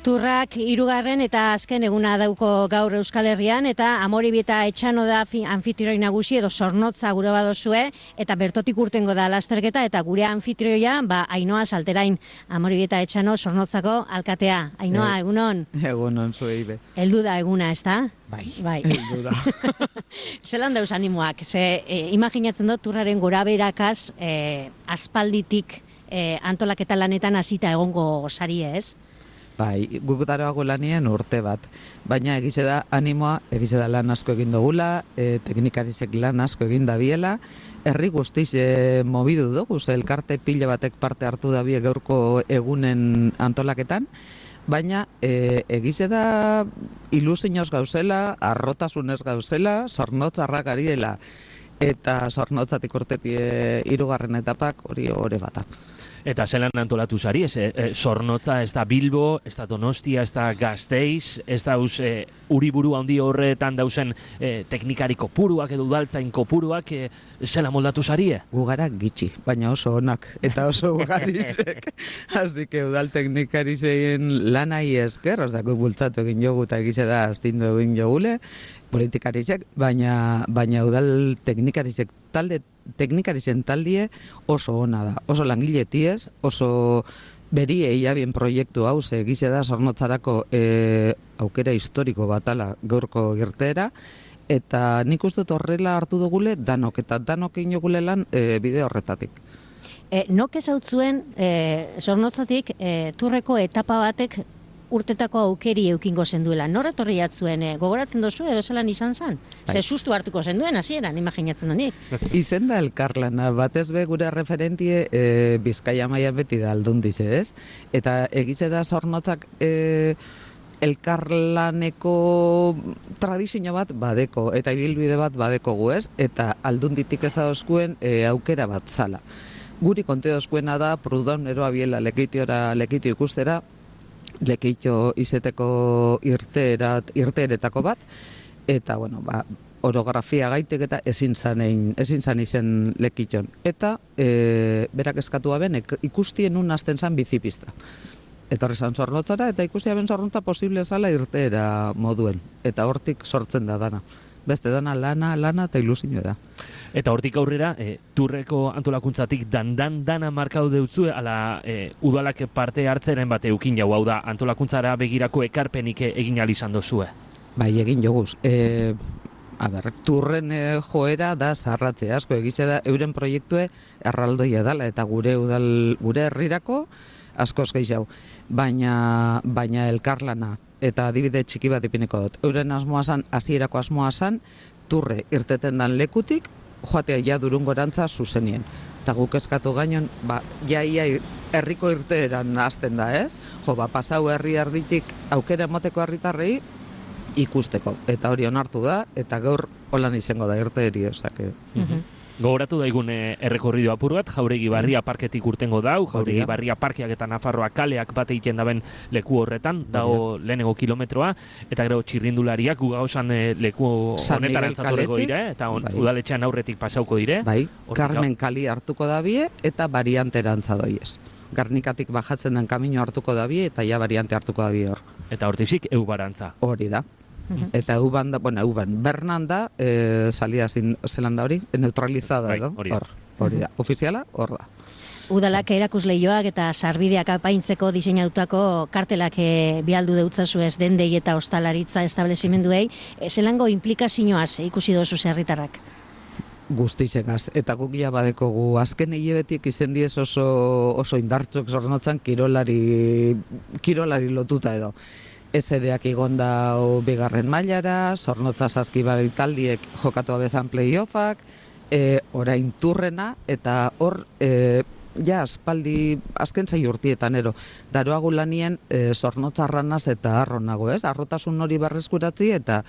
Turrak 3. eta azken eguna dauko gaur Euskal Herrian, eta Amoribi eta Etxano da anfitrioi nagusi edo Zornotza gure badozue, eta bertotik urtengo da lasterketa, eta gure anfitrioia, Ainhoa Salterain, Amoribi eta Etxano Zornotzako alkatea. Ainhoa, egunon? Egunon, zuei be. Heldu da eguna, ez da? Bai. Heldu da. Zelan dauz animoak? Imaginatzen dut turraren gora berakaz aspalditik antolaketa lanetan hasita egongo sari ez? Bai, guk daroago lanien urte bat, baina egize da animoa, egize da lan asko egin dugula, teknikarizek lan asko egin dabiela, herri guztiz mobidu dugu, elkarte pila batek parte hartu dabie gaurko egunen antolaketan, baina egize da ilusioz gauzela, arrotasunez gauzela, Zornotzarrak ari dela, eta Zornotzatik urtetik 3. etapak hori ore bata. Eta zelan antolatu zari, Zornotza, ez da Bilbo, ez da Donostia, ez da Gasteiz, ez da uriburu handi horretan dauzen teknikariko puruak edo udaltzain kopuruak, zela moldatu zarie? Gugara gitxi, baina oso onak, eta oso ugarizek. Así que udal teknikarizein lanai esker, osako bultzatu egin jogu eta egize da astindu egin jogule, politikarizek, baina udal teknikarizek teknikarizen taldie oso ona da, oso langile tiez, oso beri eiabien proiektu hau, egize da Zornotzarako aukera historiko batala gaurko irteera, eta nik uste horrela hartu dugule danok, eta danok inogule lan bide horretatik. Nok ezautzuen Zornotzatik turreko etapa batek urtetako aukeri eukingo zenduela. Nor etorri jatzuen, gogoratzen dozu edo zelan izan zen? Ze sustu hartuko zenduen, hasieran imaginatzen donik. Izen da elkarlana, batez be gure referentie Bizkaia mailan beti da aldundiz, ez? Eta egize da Zornotzak elkarlaneko tradizio bat badeko, eta ibilbide bat badeko gu, ez? Eta aldunditik ezadozkuen aukera bat zala. Guri kontedozkuena da, Prudon eroa biela lekitio ikustera, lekitio izeteko irteeretako bat, eta, orografia gaitek eta ezin zan izen lekition. Eta, berak eskatu aben, ikustien un hasten zan bizipista. Eta horri zan Zornotzara, eta ikusi aben Zornotza posible zala irteera moduen. Eta hortik sortzen da dana. Beste dana lana eta ilusioa da. Eta hortik aurrera, turreko antolakuntzatik dana markau deutzue, ala udalak parte hartzeren bat eukin jau, hau da, antolakuntzara begirako ekarpenik egin izan dozue? Bai, egin joguz. Turren joera da zarratze asko, egize da, euren proiektue erraldoia dala, eta gure herrirako askoz gehiago. Baina elkarlana, eta adibide txiki bat ipiniko dut. Euren asmoa zan, hasierako asmoa zan, turre irteten dan lekutik, joatea ja Durungorantza zuzenien. Eta guk eskatu gainon, ia herriko irteeran hasten da, ez? Pasau herri erditik aukera emoteko herritarrei ikusteko. Eta hori onartu da, eta gaur holan izango da irteeri, osake. Gogoratu daigun errekorrido apur bat, Jauregi Barria parketik urtengo dau, Jauregi Barria parkeak eta Nafarroa kaleak bat egiten daben leku horretan, dago lehenengo kilometroa, eta gero txirrindulariak gugausan leku honetan antzatorreko dire, eta udaletxean aurretik pasauko dire. Bai, Carmen Kali hartuko dabie, eta variantera antzadoiez. Garnikatik bajatzen den kamino hartuko dabie, eta ja variante hartuko dabie hor. Eta hortizik eubarantza. Hori da. Eta euban da, Bernan da, salia zelan da hori, neutralizada edo, hori da, ofiziala, hor da. Udalak erakusleioak eta sarbideak apaintzeko diseinatutako kartelak bialdu deutzazu ez dendei eta ostalaritza establezimenduei, zelango implikazioaz ikusi dozu herritarrak? Guztizegaz, eta guk ja badekogu azken hilebetik izen diez oso indartxok Zornotzan kirolari lotuta edo. SD-ak igonda bigarren mailara, Zornotza Saskibali taldiek jokatu abezan playoffak, orain turrena, eta hor, aspaldi, azken zai urtietan, daroagu lanien Zornotzarranaz eta arronago, ez? Arrotasun hori berreskuratzi, eta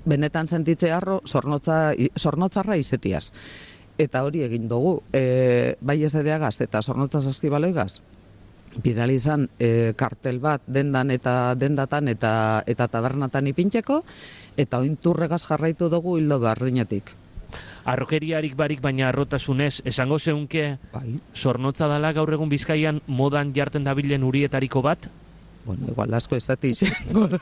benetan sentitze arro Zornotzarra izetiaz. Eta hori egin dugu, bai SD-agaz eta Zornotza Saskibaloigaz, bidali izan kartel bat dendatan eta tabernatan ipintzeko, eta oin turregaz jarraitu dugu hildo berdinetik. Arrokeriarik barik baina arrotasunez, esango zeunke Zornotza dala gaur egun Bizkaian modan jarten dabilen urietariko bat? Bueno, igual asko ezati izango da.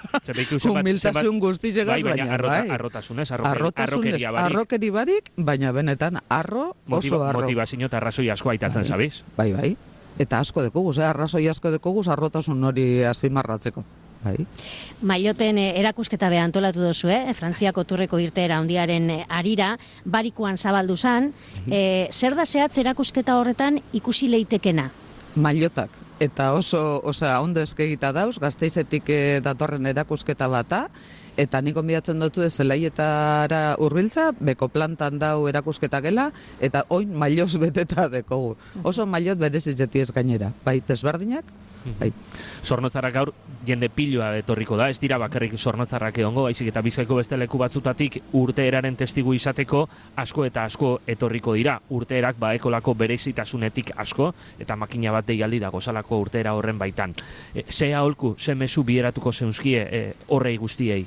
Humiltasun guztizegaz, baina bai. Arrotasunez, arrokeria barik. Arrokeri barik, baina benetan oso arro. Motivazio eta arrazoi asko aitatzen, sabiz? Bai. Eta asko dekoguz, arrazoi asko dekoguz arrotasun hori azpimarratzeko. Bai. Mailoten erakusketa be antolatu dozu, Frantziako turreko irteera handiaren harira, barikuan zabaldu zan. Zer da zehatz erakusketa horretan ikusi leitekena? Mailotak. Eta ondo eskegita dauz, Gasteizetik datorren erakusketa bata, eta nik onbidatzen dutu Zelaietara hurbiltza, beko plantan dau erakusketa gela, eta oin mailoz beteta dekogu. Oso mailot berezizeti ez gainera, bai, desberdinak, bai. Zornotzarrak gaur jende piloa etorriko da, ez dira bakarrik Zornotzarrak egongo, baizik eta Bizkaiko beste leku batzutatik urteeraren testigu izateko asko eta asko etorriko dira. Urteerak baekolako berezitasunetik asko, eta makina bat deialdi dago zalako urteera horren baitan. Ze aholku, ze mezu bieratuko zeuzkie horrei guztiei?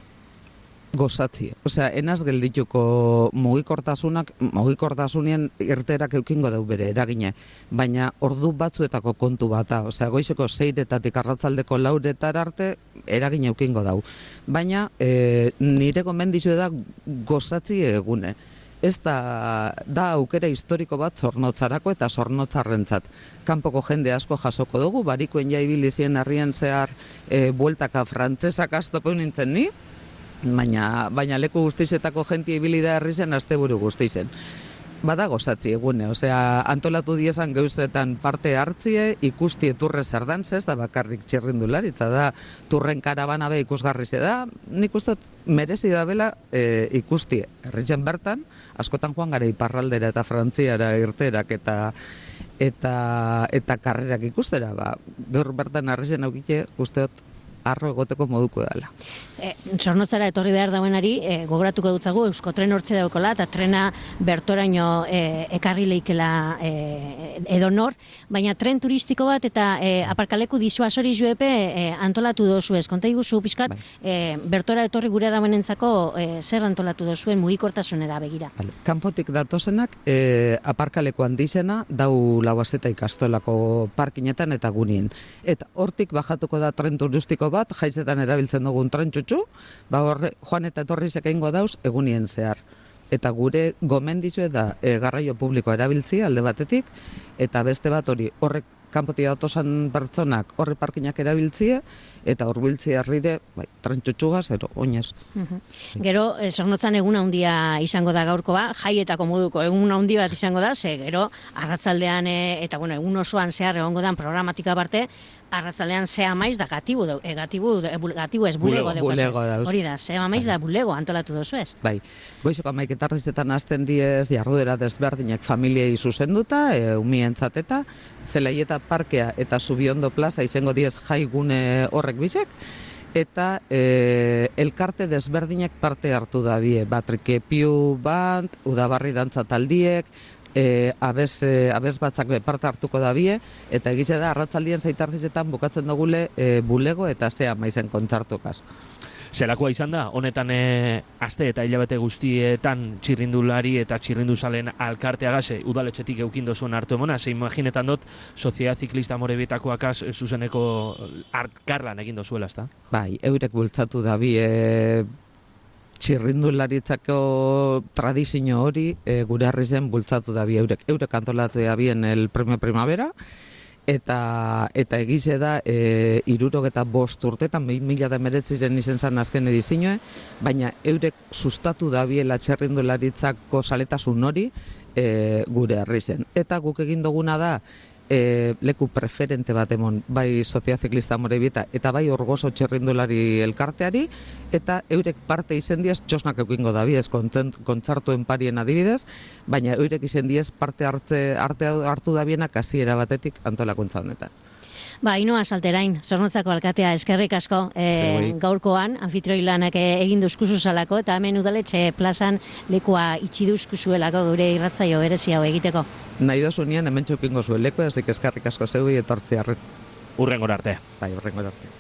Gozatzi. Enaz geldituko mugikortasunien irteerak eukingo dau bere eragine, baina ordu batzuetako kontu bata, goizeko 6-etatik arratzaldeko 4-etara arte eragine eukingo dau. Baina nire gomendizue da gozatzi egune. Ez da aukera historiko bat Zornotzarako eta Zornotzarrentzat. Kanpoko jende asko jasoko dugu, barikoen jaibilizien herrien zehar bueltaka frantzesak astopen nintzen ni, baina leku guztizetako jentia ibili da herri zen asteburu guztizen. Bada gozatzi egune, antolatu diezan gauzetan parte hartzie, ikusti turre zerdan zez, da bakarrik txirrindularitza da, turren karabana be ikusgarri ze da, nik ustot merezi da bela ikusti herritzen bertan, askotan joan gara iparraldera eta frantziara irterak eta karrerak ikustera, gaur bertan herritzen aukite usteot arro egoteko moduko dela. Zornotzara etorri behar dauenari, gogoratuko dutzagu, Euskotren hortxe daukola, eta trena bertoraino ekarri leikela edonor, baina tren turistiko bat eta aparkaleku disuasori juepe antolatu dozu ez. Konta iguzu, pizkat, bertora etorri gure dauenentzako zer antolatu dozuen mugikortasunera begira. Kanpotik datozenak, aparkaleko handizena dau Lauazeta ikastolako parkinetan eta gunien. Eta hortik bajatuko da tren turistiko bat, jaizetan erabiltzen dugun tren txutxu, joan eta etorrizek egingo dauz egunien zehar. Eta gure gomendizue da garraio publiko erabiltzi alde batetik, eta beste bat horrek kanpotik datosan pertsonak horre parkinak erabiltzie, eta hurbiltzi herrire, tren txutxugaz, oinez. Gero, Zornotzan egun handia izango da gaurkoa, jaietako moduko egun handi bat izango da, gero, arratzaldean, eta egun osoan zehar egongo dan programatika parte, arratzaldean zea maiz da gatibu ez bulego daukazuz. Hori da, zea maiz da bulego antolatu dozu ez. Bai, goizoko 11:00 hasten diez jarduera desberdinak familiei zuzenduta, umientzat eta Zelaieta parkea eta Zubiondo plaza izango diez jaigune horrek bizek, eta elkarte desberdinak parte hartu da bie, Batrikepiu band, Udabarri dantza taldiek, abez batzak parte hartuko da bie, eta egize da arratzaldien zaitartizetan bukatzen dugule bulego eta zea maizen kontzartukaz. Zelakoa izan da, honetan aste eta hilabete guztietan txirrindulari eta txirrinduzalen alkarteagaz udaletxetik eukindo zuen hartu emona, ze imaginetan dut Soziedad Ziklista Amorebietakoakaz zuzeneko arkarlan egin dozuela, ezta? Bai, eurek bultzatu da bi txirrindularitzako tradizio hori gure harri zen bultzatu da bi eurek antolatu da bien el Premio Primavera, eta egize da 65 urtetan 2019 izen zan azken edizioa, baina eurek sustatu da biela txirrindularitzako saletasun hori gure harri zen. Eta guk egin duguna da leku preferente bat emon, bai Soziedad Ziklista Amorebieta eta bai Orgoso txirrindulari elkarteari, eta eurek parte izen diez, txosnak eukingo da biez, kontzartuen parien adibidez, baina eurek izen diez parte hartu da bienak hasiera batetik antolakuntza honetan. Ainhoa Salterain, Zornotzako alkatea, eskerrik asko gaurkoan, anfitrioi lanak egin duzkuzu zalako, eta hemen udaletxe plazan lekua itxi duzkuzuelako gure irratzaio berezi hau egiteko. Nahi dozu nien hemen txukingo zuen lekua, ezik eskerrik asko zeui etortzi arret. Urrengora arte. Bai, urrengora arte.